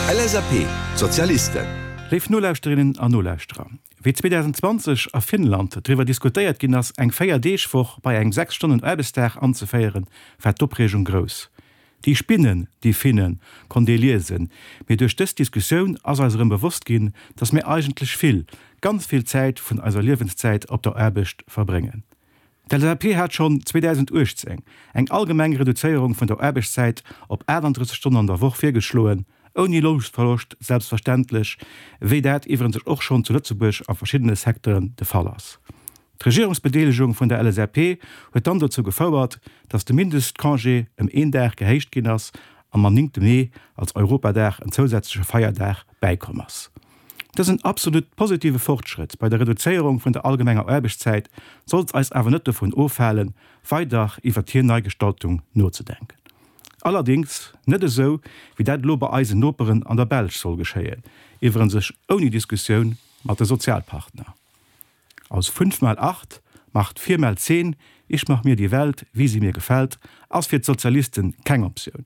LSAP, Sozialisten. Léif Nolauschterinnen an Nolauschterer, wéi 2020 a Finnland driwwer diskutéiert ginn ass, eng Véier-Deeg-Woch bei engem 6 Stonnen Aarbechtsdag anzeféieren, war d'Opreegung grouss. Déi Spinnen, déi Finnen, konnt ee liesen, mee duerch dës Diskussioun ass eis erëm bewosst ginn, dass mir eigentlech vill, ganz vill Zäit vun eiser Liewenszäit op der Aarbecht verbréngen. D'LSAP hat schonn 2018 eng allgemeng Reduzéierung vun der Aarbechtszäit op 38 Stonnen an der Woch virgeschloen, ouni Lounverloscht selbstverständlech, wéi dat iwwerens och schonn zu Lëtzebuerg a verschiddene Secteuren de Fall ass. D'Regierungsbedeelegung vun der LSAP huet dann dozou gefouert, datt de Mindestcongé ëm een Dag gehéicht ginn ass an mam 9 Mee als Europadag en zousätzleche Feierdag bäikomm ass. Dësen absolut positive Fortschrëtt bei der Reduzéierung vun der allgemenger Aarbechtszäit sollt eis awer net dovun ofhalen, weider iwwert hir Neigestaltung nozedenken. Allerdéngs net esou, wéi dat elo bei eisen Noperen an der Belsch soll geschéien, iwwerens ouni Diskussioun mat de Sozialpartner. Aus fünf mal acht macht vier mal zehn, ich mach mir die Welt, wie sie mir gefällt, ass fir d'Sozialisten keng Optioun.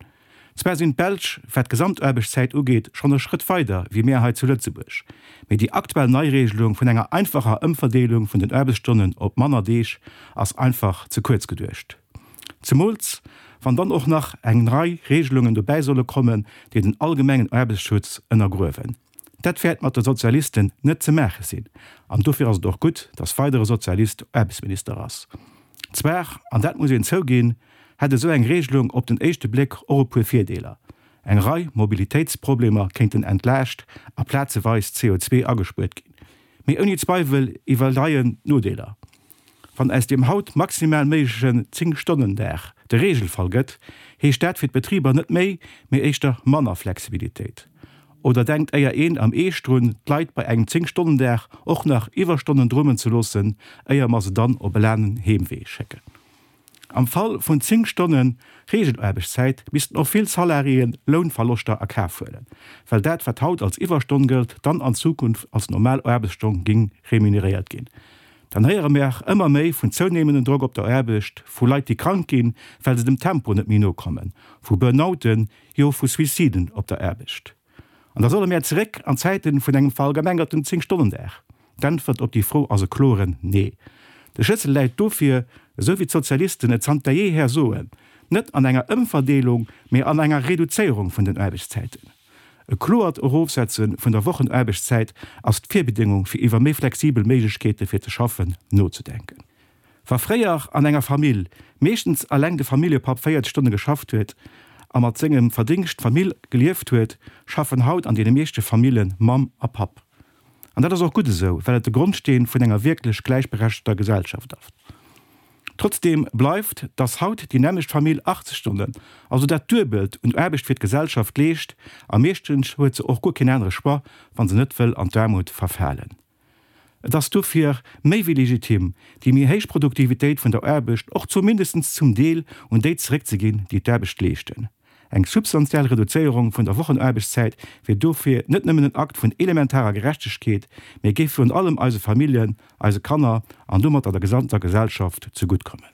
Zwar sinn d'Belsch, wat d'Gesamtaarbechtszäit ugeet, schonn e Schrëtt weider wéi mär hei zu Lëtzebuerg, mee déi aktuell Neiregelung vun enger einfacher Ëmverdeelung vun den Aarbechtsstonnen op manner Deeg ass einfach ze kuerz geduecht. Zemools wann dann och nach eng Rei Regelungen dobäi solle kommen, déi den allgemengen Aarbechtsschutz ënnergruewen. Dat wäert mat de Sozialisten net ze maache sinn, an dofir ass et och gutt, datt weider e Sozialist Aarbechtsminister ass. Zwar, an dat muss een zouginn, hätt esou eng Regelung op den éischte Bléck och e puer Virdeeler, Eng Rei Mobilitéitsproblemer kéinten entlaascht a plazeweis CO2 agespuert ginn. Mee ouni Zweiwel iwwerleien d'Nodeeler. Wann aus deem haut maximal méiglechen 10 Stonnen Dag de Regelfall gëtt, heescht dat fir d'Betriber net méi, mee éischter manner Flexibilitéit. Oder denkt éier een am Eescht drun, d'Leit bei engem 10 Stonnen Dag och nach Iwwerstonnen drummen ze loossen, éier mer se dann op e laangen Heemwee schécken? Am Fall vun 10 Stonne Reegelaarbechtszäit missten och vill Salariéen Lounverloschter a Kaf huelen, well dat wat haut als Iwwerstonn gëllt, dann an Zukunft als normal Aarbechtsstonn géing remuneréiert ginn. Dann héiere mer ëmmer méi vun zounehmendem Drock op der Aarbecht, vu Leit déi krank ginn, well se dem Tempo net méi nokommen, vu Burnouten, jo vu Suiciden op der Aarbecht. An da solle mär zeréck an d'Zäiten vun engem verallgemengerten 10 Stonnen-Dag? D'Äntwert op déi Fro ass e kloren Nee. De Schlëssel läit dofir, esou wéi d'Sozialisten et zanter jeeher soen, net an enger Ëmverdeelung, mee an enger Reduzéierung vun den Aarbechtszäiten. E kloert Erofsetze vun der Wochenaarbechtszäit ass d'Virbedéngung fir iwwer méi flexibel Méiglechkeete fir ze schaffen nozedenken. Wa fréier an enger Famill meeschtens alleng de Familljepapp 40 Stonne geschafft huet a mat sengem Verdingscht d'Famill gelieft huet, schaffen haut an deene meeschte Famille Mamm a Papp. An dat ass och gutt esou, well et de Grondsteen vun enger wierklech gläichberechtegter Gesellschaft ass. Trotzdeem bleift, dass haut déi nämmlecht Famill 80 Stonnen, also dat Duebelt un Aarbecht fir d'Gesellschaft leescht, a meeschtens huet se och guer keen anere Choix, wa se net wëll an d'Aarmut verfalen. Et ass dofir méi wéi legitim, déi méi héich Produktivitéit vun der Aarbecht och zumindestens zum Deel un déi zeréckzeginn, déi d'Aarbecht leeschten. Eng substantiell Reduzéierung vun der Wochenaarbechtszäit wier dofir net nëmmen en Akt vun elementarer Gerechtegkeet, mee géif virun allem eise Familljen, eise Kanner an domatter der gesamter Gesellschaft zeguttkommen.